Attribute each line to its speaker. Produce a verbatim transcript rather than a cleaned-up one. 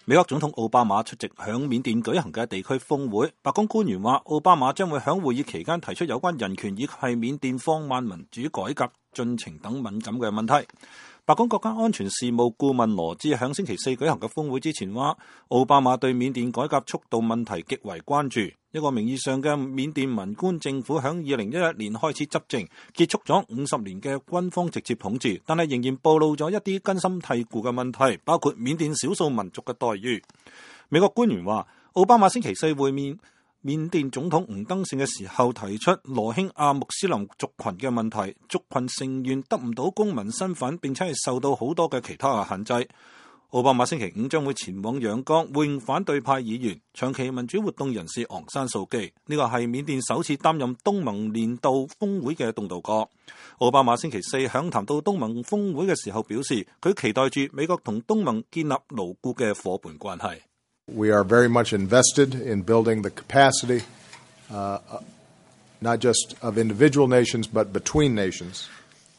Speaker 1: 美國總統奧巴馬出席響緬甸舉行嘅地區峰會，白宮官員話，奧巴馬將會響會議期間提出有關人權以及係緬甸放慢民主改革進程等敏感嘅問題。白宮國家安全事務顧問羅茲響星期四舉行嘅峰會之前話，奧巴馬對緬甸改革速度問題極為關注。一個名義上嘅緬甸文官政府響二零一一年開始執政，結束咗五十年嘅軍方直接統治，但係仍然暴露咗一啲根深蒂固嘅問題，包括緬甸少數民族嘅待遇。美國官員話，奧巴馬星期四會面緬甸總統吳登盛嘅時候提出羅興亞穆斯林族群嘅問題，族群成員得唔到公民身份，並且係受到好多嘅其他嘅限制。奧巴馬星期五將會前往仰光會見反對派議員、長期民主活動人士昂山素基，呢個係緬甸首次擔任東盟年度峰會嘅東道哥。奧巴馬星期四響談到東盟峰會嘅時候表示，佢期待住美國同東盟建立牢固嘅夥伴關係。
Speaker 2: We are very much invested in building the capacity, uh, not just of individual nations, but between nations.